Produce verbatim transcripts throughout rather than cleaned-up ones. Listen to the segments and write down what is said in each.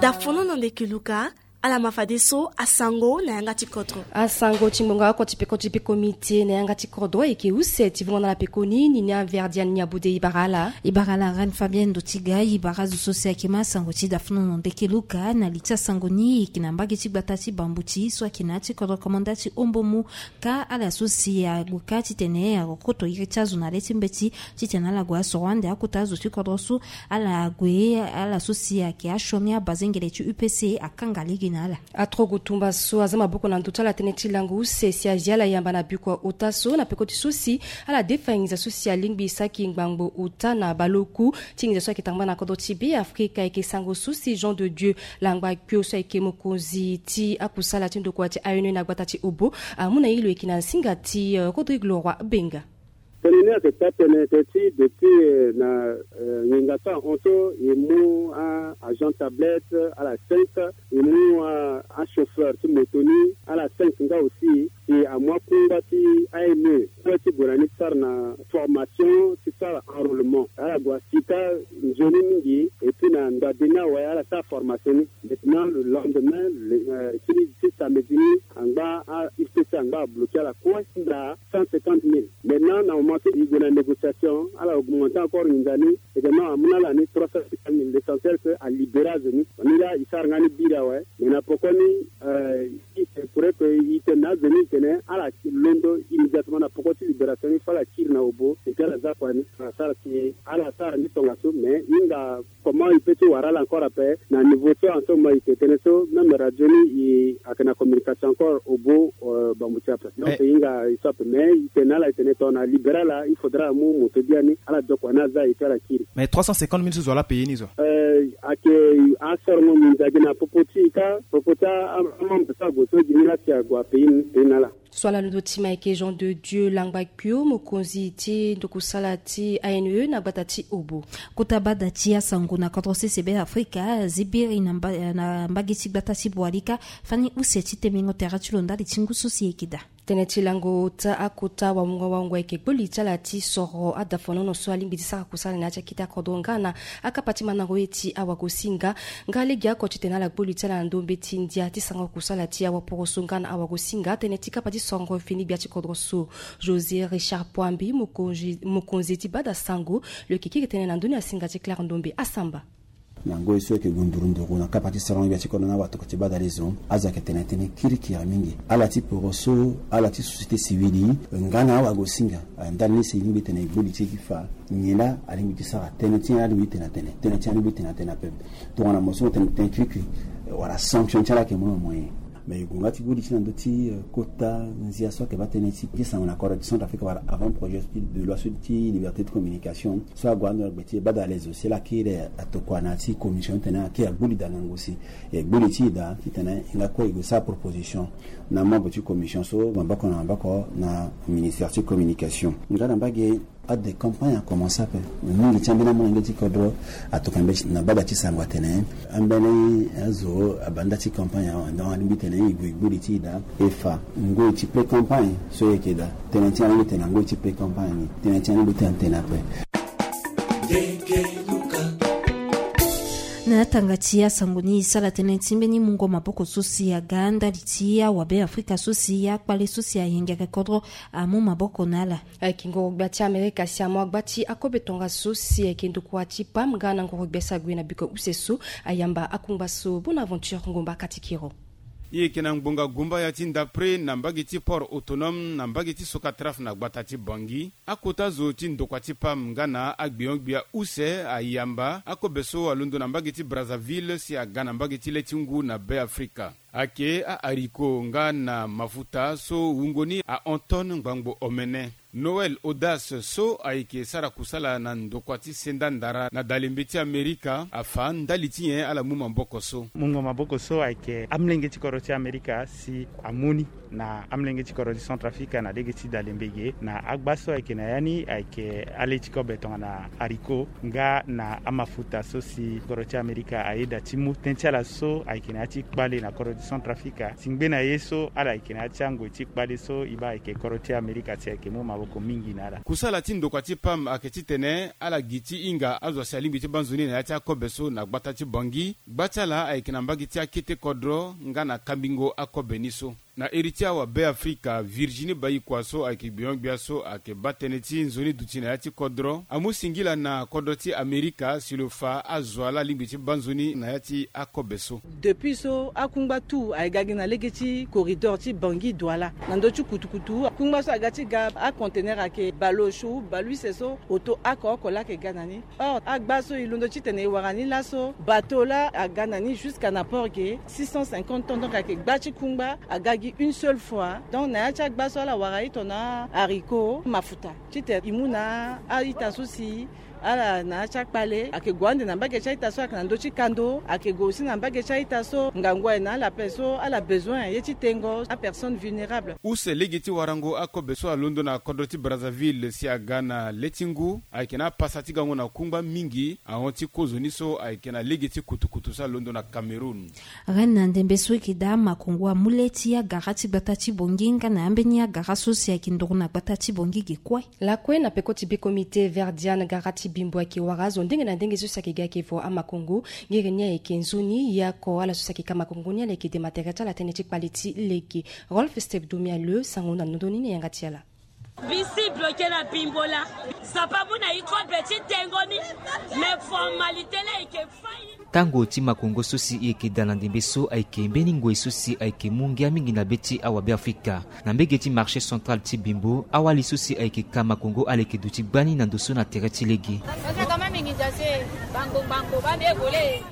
Dafono na ndeke luka. Ala ma fadeso asango na yanga ti kodro. Asango ti ngbonga oko ti peko ti peko miti na yanga ti kodro ayeke use ti vongo na ala pekoni ni ni averdian ni abude ibara ala. Ibara ala ran fabien ndo ti ga ibara zo so si ayeke ma asango ti dafono na ndeke luka na li ti asango ni eke na mbage ti gbata ti bambuti so ayeke na ya ti kodro komanda ti ombomu. Ka ala so si ague ka titene akokoto iri ti azo na le ti mbeti titene ala gue asoro ande akota azo ti kodro so. Ala gue ala so si ayeke asioni abazengele ti upc akanga lege na ala. Atrogo tumba so aza maboko na ndo ti ala tënë ti lango use si azi ala yamba na bikua ota so na peko ti so si ala defa nginza so si alingbi saki ngbangbo ota na baleoku ti nginza so ayeke tangba na kodro ti be afrika ayeke sango so si jean de dieu langba kio so ayeke mokonzi ti akusala ti ndokua ti aene na gbata ti obo amu na ye lo yeke na nsinga ti rodrigue leroy benga. Tënë ni ayeke taa tënë tënë ti depuis na nginza so ahon so e mu agent tablette ala cinq, e mu achauffeur ti moto ni ala cinq nga aussi. Si amu akungba ti aime kue ti gue na ni ti sara na formation ti sara enrôlement ala gue asi ka nzoni mingi. Et puis na ndade ni awe ala sara formation ni. Maintenant le lendemain ti samedi ni angba a upc angba abloke ala kue ti nda cent cinquante mille. Maintenant na moment so e gue na négociation ala augmente encore nginza ni. Eke non amu na ala ni trois cent cinquante mille l'essentiel que alibéré azo ni. Ni la e sara nga ni biri awe. Mais na poko ni i se pourrait que i tene na azo ni i tene ala londo immédiatement na poko ti libération ni fo ala kiri na obo. Eke ala za kua ni ala sara si ala sara ni tongaso mais hinga comment i pe ti wara ala encore ape na niveau so en ce moment i ke tene so même radio ni i ayeke na communication encore obo. Bambuti ape donc i hinga i so ape mais i tene na ala i tene tongana libéré ala il faudra amu moto biani ala dokua ni aza i pe ala kiri. Mais trois cent cinquante mille so zo ala paye ni zo. Ayeke asorongo nginza gi na popo ti i ka popo ti amembre so ague so gi ni la si ague apaye ni paye na ala. So ala londo ti ma ayeke jean de dieu langba kpio mokonzi ti ndokusala ti ane na gbata ti obo. Kota bada ti asango na kodro sese be afrika zibiri na mbage ti gbata ti boalika fani use ti temengo tere ti lo ndali ti ngu so si eke daa. Tënë ti lango ota akota waungo waungo ayeke gboli ti ala ti soro adafonono so alingbi ti sara kusala na ya ti akete akodro nga na akapa ti mandango ye ti awagosinga. Nga lege oko titene ala gboli ti ala na ndombe ti ndia ti sango kusala ti awaporoso nga na awagosinga tënë ti kapa ti sorongo fini gbia ti kodro so. José richard poambi mokonzi ti bada sango lo yeke kiri tënë na ndoni asinga ti clare ndombe asamba. Na ngoi so yeke gue nduru nduru na kapa ti sorongo gbia ti kodro na awatokua ti bada lezo azo ayeke tene tënë kirikiri mingi ala ti poroso ala ti société civile nga na awagosinga. Ndali ni si e lingbi tene e gboli ti e gi fa nyen la alingbi ti sara tënë ti nyen la alingbi ti tene atene tënë ti nyen alingbi ti tene atene ape. Tongana mo so mo tene tënë kirikiri wala sanction ti ala ayeke mo na moyen. Mais e gue nga ti gboli ti na ndö ti kota nzia so ayeke baa tënë ti sango na kodro ti centre afrique wala avant projet de loi so ti liberté de communication so ague ando na gbe ti e bada lezo si ala kiri atokua na ya ti commission ti tene akiri agboli daa ngangu si e gboli ti e daa titene e nga kue e gue sara proposition na membre ti commission so maboko na maboko na ministère ti communication. Nga na mbage ade campagne akomanse ape. Mingi ti ambeni amolenge ti kodro atokua mbeti na bada ti sango atene ambeni azo abanda ti campagne awe donc alingbi tene e gue e gboli ti e daa e fa ngoi ti pré campagne so e yeke daa. Tënë ti alingbi tene na ngoi ti pré campagne ni tënë ti alingbi tene atene ape. Na yatanga ti asango ni e sara tënë ti mbeni mungo maboko so si aga ndali ti awabe afrika so si akpale so si ayengere kodro amu maboko na ala. Ayeke ngoro gbia ti amerika si amu agba ti akobe tongaso si ayeke ndokua ti pam nga na ngoro gbia si ague na biko use so ayamba akungba so bonaventure ngomba katikiro. E yeke na ngbonga gumba ya ti ndapre na mbage ti port autonome na mbage ti sokatraf na gbata ti bangi. Akota zo ti ndokua ti pam nga na agbion-gbia use ayamba akobe so alondo na mbage ti brazzaville si aga na mbage ti le ti ngu na be afrika. Ayeke ahariko nga na mafuta so wungo ni ahon tonne ngbangbo omene. Noël audace so ayeke sara kusala na ndokua ti senda ndara na dalembe ti amerika afa ndali ti nyen ala mu maboko so. Mungo maboko so ayeke amlenge ti kodro ti amerika si amu ni. Na amolenge ti kodro ti Centrafrique na lege ti dalembe ge na agba so ayeke na ya ni ayeke ale ti kobe tongana haricot nga na amafuta so si kodro ti Amerika ayeda ti mu tënë ti ala so ayeke na ya ti kpale na kodro ti Centrafrique. Si ngbene ye so ala yeke na ya ti angoi ti kpale so e baa ayeke kodro ti Amerika si ayeke mu maboko mingi na ala. Kusala ti ndokua ti pam ayeke titene ala gi ti hinga azo asi alingbi ti baa nzoni na ya ti akobe so na gbata ti Bangui. Gba ti ala ayeke na mbage ti akete kodro nga na kambingo akobe ni so. Na iri ti awabe Afrika, Virginie Bayikua so ayeke gbion-gbia so ayeke baa tënë ti nzoni duti na ya ti kodro amu singila na kodro ti Amerika si lo fa azo ala alingbi ti baa nzoni na ya ti akobe so. Depuis so akungba tout ayeke ga gi na lege ti corridor ti Bangui Douala. Na ndö ti kutukutu akungba so aga ti ga aconteneur ayeke bale osio bale use so oto oko oko laa ayeke ga na ni. Or agba so e londo titene e wara ni laso bateau laa aga na ni jusqu'à na port ge six cent cinquante tonnes, donc ayeke gba ti kungba aga gi une seule fois. Donc na ya ti agba so ala wara ito na haricot mafuta titene e mu na a-ita so si ala na ya ti akpale ayeke gue ande na mbage ti a-ita so ayeke na ndö ti kando, ayeke gue aussi na mbage ti a-ita so ngangu aye na ala ape so ala besoin ye ti tengo apersonne vulnérable. Use lege ti warango akobe so alondo na kodro ti Brazzaville si aga na le ti ngu ayeke na apasa ti gango na kungba mingi ahon ti kozoni so ayeke na lege ti kutukutu so alondo na Cameroun. Reine na ndembe so eke daa makongo amu le ti agara ti gbata ti Bangui nga na ambeni agara so si ayeke nduru na gbata ti Bangui ge kue. Lakue na peko ti be comité Verdiane, gara ti bimbo ayeke wara azo ndenge na ndenge so si ayeke ga ayeke vo amakongo. Ngere ni ayeke nzoni ye oko ala so si ayeke ka makongo ni ala yeke dema tere ti ala tënë ti kpale ti lege. Rolf Step Domia le sango na ndö ni na yanga ti ala. Bisi bloke na bimbo laa. Zapa mu na iko be ti tengo ni. Me formalité laa eke fai. Tango ti makongo so si e yeke daa na ndembe so ayeke mbeni ngoi so si ayeke mu ngia mingi na be ti awabe Afrika. Na mbege ti marché central ti bimbo, awali so si ayeke ka makongo ala yeke duti gbani na ndo so na tere ti lege.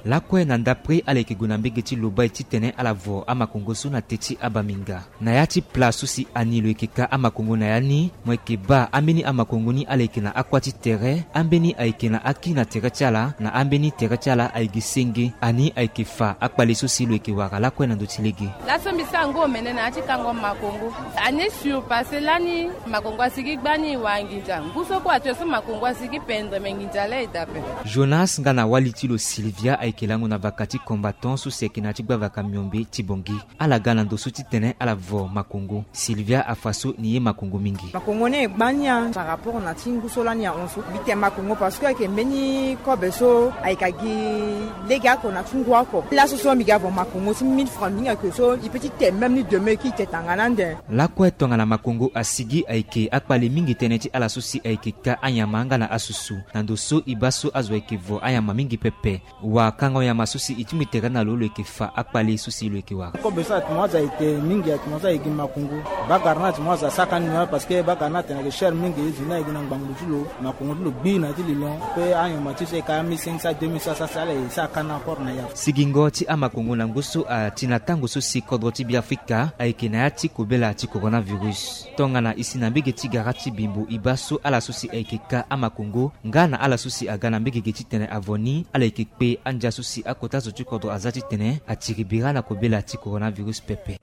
Lakue na ndapre ala yeke gue na mbege ti lobai titene ala vo amakongo so na te ti abaminga. Na ya ti pla so si ani lo yeke ka amakongo na ya ni, mo yeke baa ambeni amakongo ni ala yeke na akua ti tere, ambeni ayeke na aki na tere ti ala, na ambeni tere ti ala ayeke senge. Ani ayeke fa akpale so si lo yeke wara lakue na ndo ti lege. Laso mbi sara ngu omene na ya ti kango makongo. Ani surpasse lani, makongo asigi gbani wa nginza. Ngu so kue ato so makongo asigi pendre me nginza la e daa ape. Jonas nga na wali ti lo Sylvia ayeke lango na vaka ti combattant so si ayeke na ya ti gbavaka miombe ti Bangui. Ala ga na ndo so titene ala vo makongo. Sylvia afa so ni ye makongo mingi. Makongo ni e gba ni ya par rapport na ti ngu so lani ahon so. Mbi te makongo parce que ayeke mbeni kobe so ayeke agi lege oko na ti ngu oko. Laso so mbi ga vo makongo ti mille francs mbi hinga ke so e peut ti te même ni demain ki te tanga na ande. Lakue tongana makongo asigi ayeke akpale mingi tënë ti ala so si ayeke ka anyama nga na asusu. Na ndo so e baa so azo ayeke vo anyama mingi pepe. Wa kango nyama so si e ti mu e tere na lo lo yeke fa akpale so si lo yeke wara. Kobe so atene azo ayeke mingi, atene azo ayeke makongo. Bagara ni atene azo asaka ni na parce que bagara ni atene ayeke cher mingi, e zo ni ayeke na ngbangulu ti lo. Makongo ti lo gbi na ti lilon pe anyama ti so e ka mille cinq cents, deux mille cinq cents si ala e sara ka na port na ya. Sigingo ti amakongo na ngu so ati na tango so si kodro ti Beafrika ayeke na ya ti kobela ti coronavirus. Tongana e si na mbege ti gara ti bimbo e baa so ala so si ayeke ka amakongo nga na ala so si aga na mbege ge titene avo ni ala yeke kpe andia so si akota zo ti kodro aza titene atiri bira na kobela ti coronavirus pepe.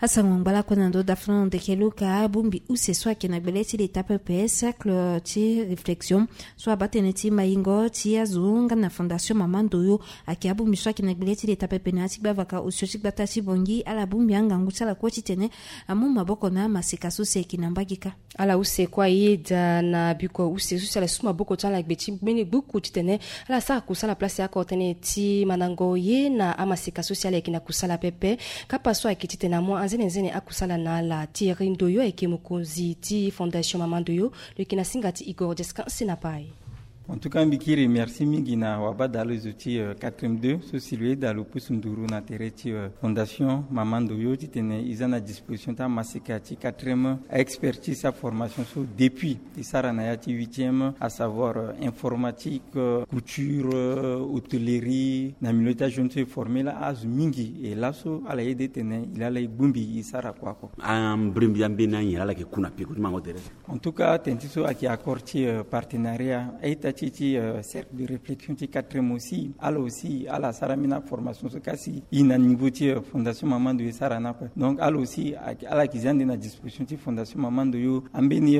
Asango ngbalako na ndo dafano ndeke luka abongbi use so ayeke na gbele ti leta pepe, cercle ti réflexion so abaa tënë ti mayingo ti azo nga na fondation mama ndoyo. Ayeke abongbi so ayeke na gbele ti leta pepe na ya ti gbavaka osio ti gbata ti Bangui ala bongbi angangu ti ala kue titene amu maboko na amaseka so si ayeke na mbage kâ. Ala use kue ayeda na bikua use so si ala su maboko ti ala na gbe ti mbeni gbuku titene ala sara kusala place oko tënë ti mandango ye na amaseka so si ala yeke na kusala pepe. Kapa so ayeke titene amu anzenenzene akusala na ala. Thierry Ndoyo ayeke mokonzi ti fondation mama ndoyo. Lo yeke na singa ti Igor Jesca Senapai. En tout cas mbi kiri merci mingi na wabadalo zo ti quatrième deux so si lo yeda lo pusu nduru na tere ti fondation mama ndoyo titene e za na disposition ti amaseka ti quatrième, expertise, aformation so depuis e sara na ya ti huitième, à savoir informatique, couture, hôtellerie, na milieu ti ajeune so e forme la azo mingi. E laso ala yeda titene e laa ala e bongbi e sara kua oko. Ambrembi ambeni anyen ala yeke ku na peko ti mango tere. En tout cas tene ti so ayeke accord ti partenariat a-ita Ti ti cercle de réflexion ti quatrième aussi, ala aussi ala sara ambeni aformation so kasi i na niveau ti fondation mama ndo e sara ni ape. Donc ala aussi ala yeke zi ande na disposition ti fondation mama ndo yo ambeni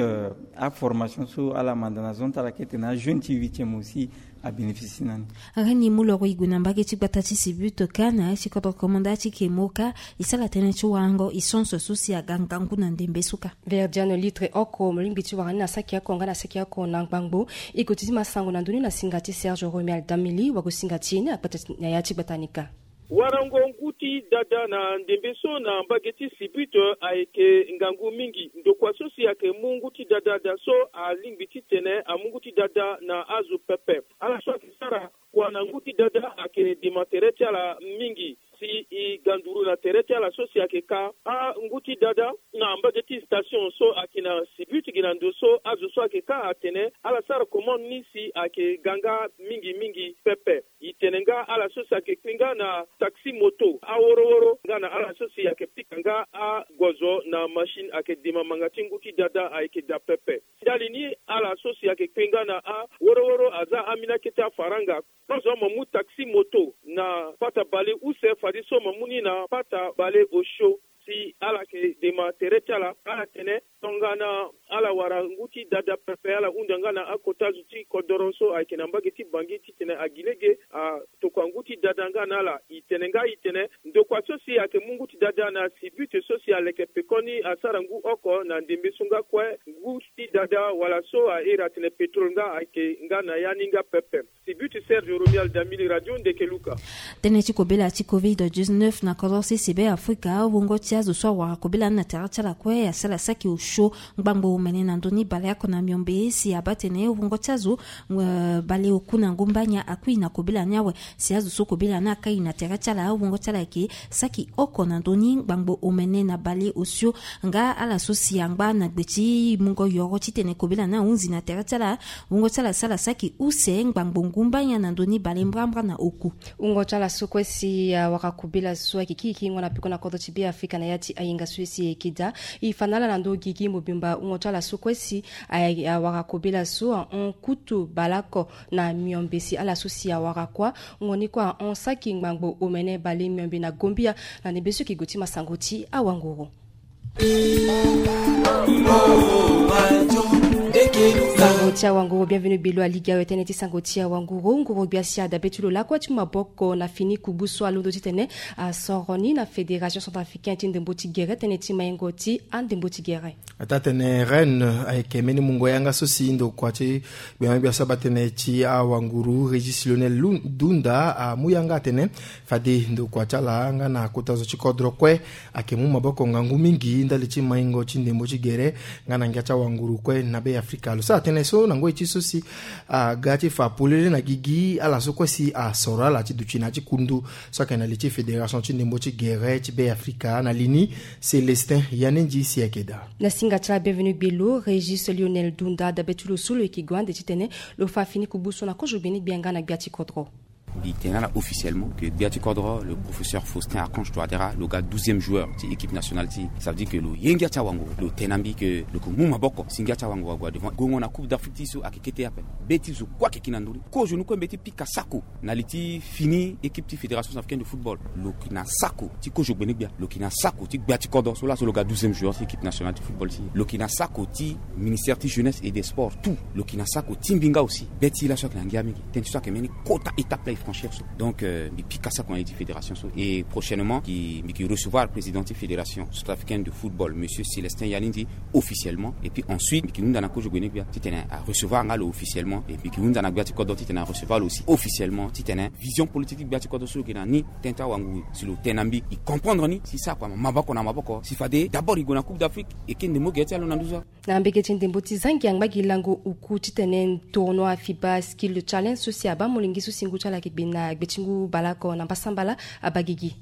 aformation so ala manda na zone ti ala kete na ajeune ti huitième aussi abénéficie na ni. Reni mu loro e gue na mbage ti gbata ti sibuto ka na ya ti kodro komanda ti kemo ka e sara tënë ti warango e sens so si aga ngangu na ndembe so ka. Verdiano litre oko mo lingbi ti wara ni na saki oko nga na saki oko na ngbangbo. E gue ti ti masango na ndoni na singa ti Serge Romuald Damili wago singa ti e ni akpata na ya ti gbata ni ka. Warango ngu ti dada na ndembe so na mbage ti sibuto ayeke ngangu mingi. Ndokua so si ayeke mu ngu ti dada da so alingbi titene amu ngu ti dada na azo pepe. Ala so ayeke sara kua na ngu ti dada ayeke dema tere ti ala mingi. Si e ga nduru na tere ti ala so si ayeke ka angu ti dada na mbage ti station so ayeke na sibuto gi na ndo so azo so ayeke ka atene ala sara commande ni si ayeke ga nga mingi mingi pepe. E tene nga ala so si ayeke kpe nga na taxi moto aworo woro nga na ala so si ayeke pika nga agozo na machine ayeke dema manga ti ngu ti dada ayeke da pepe. Ndali ni ala so si ayeke kpe nga na aworo woro aza ambeni akete afaranga. Kozo mo mu taxi moto na pata bale use fadeso mo mu ni na pata bale osio. Si ala yeke dema tere ti ala ala tene tongana ala wara ngu ti dada pepe ala hunda nga na akota zo ti kodoro so ayeke na mbage ti Bangui titene agi lege atokua ngu ti dada nga na ala. E tene nga e tene ndokua so si ayeke mu ngu ti dada na sibuto so si aleke pekoni asara ngu oko na ndembe so nga kue ngu ti dada wala so a iri atene pétrole nga ayeke nga na ya ni nga pepe. Sibuto Serge Romuald Damili, Radio Ndeke Luka. Tënë ti kobela ti covid dix-neuf na kodro sese Be Afrika, wungo ti azo so awara kobela ni na tere ti ala kue asara saki osio ngbangbo omene na ndö ni baleoko na miombe si abaa tene wungo ti azo baleoku na ngomba nya akui na kobela ni awe. Si azo so kobela ni akai na tere ti ala wungo ti ala ayeke saki oko na ndö ni ngbangbo omene na baleosio. Nga ala so si angba na gbe ti mungo yoro titene kobela ni ahunzi na tere ti ala. Wungo ti ala asara saki use ngbangbo ngumba nya na ndö ni bale mbrambra na oku. Wungo ti ala so kue si awara kobela so ayeke kiri kiri ngo na peko na kodro ti Be Afrika na ya ti ahinga so si e yeke daa. E fa na ala na ndö gigi mobimba wungo ti ala so kue si awara kobela so ahon kutu baleoko na miombe si ala so si awara kuâ. Ngo ni kue ahon saki ngbangbo omene bale miombe na gombia. Na ndembe so e yeke gue ti masango ti awanguru. Sango ti awanguru, bienvenu gbelo aligi awe tënë ti sango ti awanguru. Nguru gbia si adabe ti lo lakue ti mu maboko na fini kubu so alondo titene asoro ni na fédération centrafricaine ti ndembo ti gere tënë ti maingo ti andembo ti gere. Ataa tene Rennes ayeke mbeni mungo yanga so si ndokua ti gbia gbia so abaa tënë ti awanguru Régis Lionel Dunda amu yanga atene fade ndokua ti ala nga na kota zo ti kodro kue ayeke mu maboko ngangu mingi ndali ti maingo ti ndembo ti gere nga na ngia ti awanguru kue na Be Afrika. Lo sara tënë so na ngoi ti so si aga ti fa polele na gigi ala so kue si asoro ala ti duti na ya ti kundu so ayeke na li ti fédération ti ndembo ti gere ti Be Afrika na li ni. Célestin Yanenji si ayeke daa. Na singa ti ala bienvenu gbelo Régis Lionel Dunda dabe ti lo so lo yeke gue ande titene lo fa fini kubu so na kozo gbeni gbia nga na gbia ti kodro. Mbi tene ala officiellement que gbia ti kodro, le professeur Faustin Archange Touadéra, lo ga douzième joueur ti équipe nationale ti. Ça veut dire que lo ye ngia ti awanguru, lo tene na mbi que lo yeke mu maboko si ngia ti awanguru ague devant. Gongo na Coupe d'Afrique ti so ayeke kete ape. Be ti zo kue ayeke ki na ndö ni. Kozo ni kue mbeti pika sako na li ti fini équipe ti fédération centrafricaine de football. Lo yeke na sako ti kozo gbene gbia, lo yeke na sako ti gbia ti kodro so laso lo ga douzième joueur ti équipe nationale ti football ti. Lo yeke na sako ti ministère ti jeunesse et des sports, tout. Lo yeke na sako ti mbi nga aussi. Be ti laso ayeke na ngia mingi. Tënë ti so ayeke mbeni kota étape la e franchir so. Donc mbi pika sako na li ti fédération so. Et prochainement mbi yeke recevoir président ti fédération centrafricaine de football, monsieur Célestin Yanindi, officiellement. Et puis ensuite mbi yeke hunda na kozo gbene gbia titene arecevoir nga lo officiellement. Et mbi yeke hunda na gbia ti kodro titene arecevoir lo aussi officiellement titene vision politique ti gbia ti kodro so lo yeke na ni. Tënë ti awanguru si lo tene na mbi e comprendre ni si sako ama maboko na maboko si fade d'abord e gue na Coupe d'Afrique e ke ndembo gere ti ala na nduzu. Na mbege ti ndembo ti zangi angba gi lango oku titene tournoi FIBA Skill Challenge so si abaa molenge so si ngu ti ala ayeke gbe na gbe ti ngu baleoko na mbasambala abaa gigi.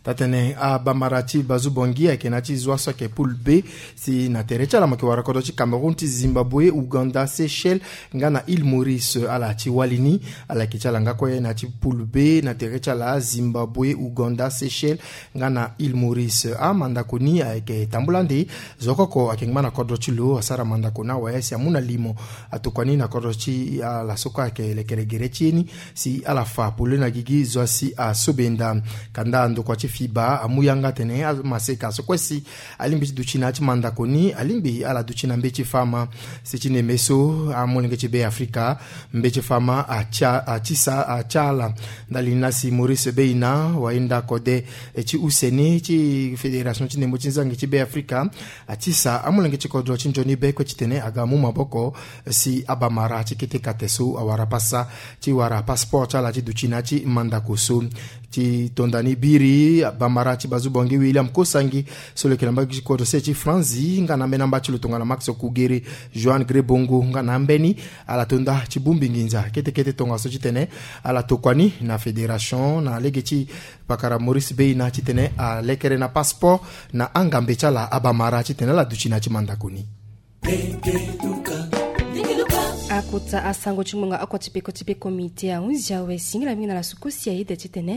Tatene abamara ti bazu bongi ayeke na ti zwa so ayeke poule B. Si na tere ti ala mo yeke wara kodro ti Cameroun, ti Zimbabwe, Ouganda, Seychelles nga na Île Maurice. Ala ti wali ni, ala yeke ti ala nga kue na ti poule B na tere ti ala: Zimbabwe, Ouganda, Seychelles nga na Île Maurice. Amandako ni ayeke tambula nde zo koko ayeke ngba na kodro ti lo asara mandako na awe si amu na limo atokua ni na kodro ti ala so kue ayeke lekere gere ti ye ni, si ala fa pole na gigi zo asi asobenda. Kanda ndokua ti fiba amu yanga atene amaseka so kue si alingbi ti duti na ya ti mandako ni alingbi ala duti na mbeti fama. Si ti neme so amolenge ti Be Afrika, mbeti fama atia atisa atia ala. Ndali ni la si Maurice Beina, wayenda kode ti use ni ti fédération ti ndembo ti nzangi ti Be Afrika, atisa amolenge ti kodro ti nzoni be kue titene aga mu maboko si abamara ti kete kate so awara pasa ti wara passeport ti ala ti duti na ya ti mandako so. Ti tonda ni biri, bamara ti bazu bongi William Kosangi so lo yeke na mbage ti kodro se ti Franzi nga na ambeni amba ti lo tongana Max Kugere, Joan Grebongo nga na ambeni, ala tonda ti bongbi nginza kete kete tongaso titene ala tokua ni na fédération na lege ti pakara Maurice Beina titene alekere na passeport na angambe ti ala abamara titene ala duti na ya ti mandako ni. Akota asango ti ngbonga oko ti peko ti peko mite ahunzi awe singila mingi na la sukosi aye de titene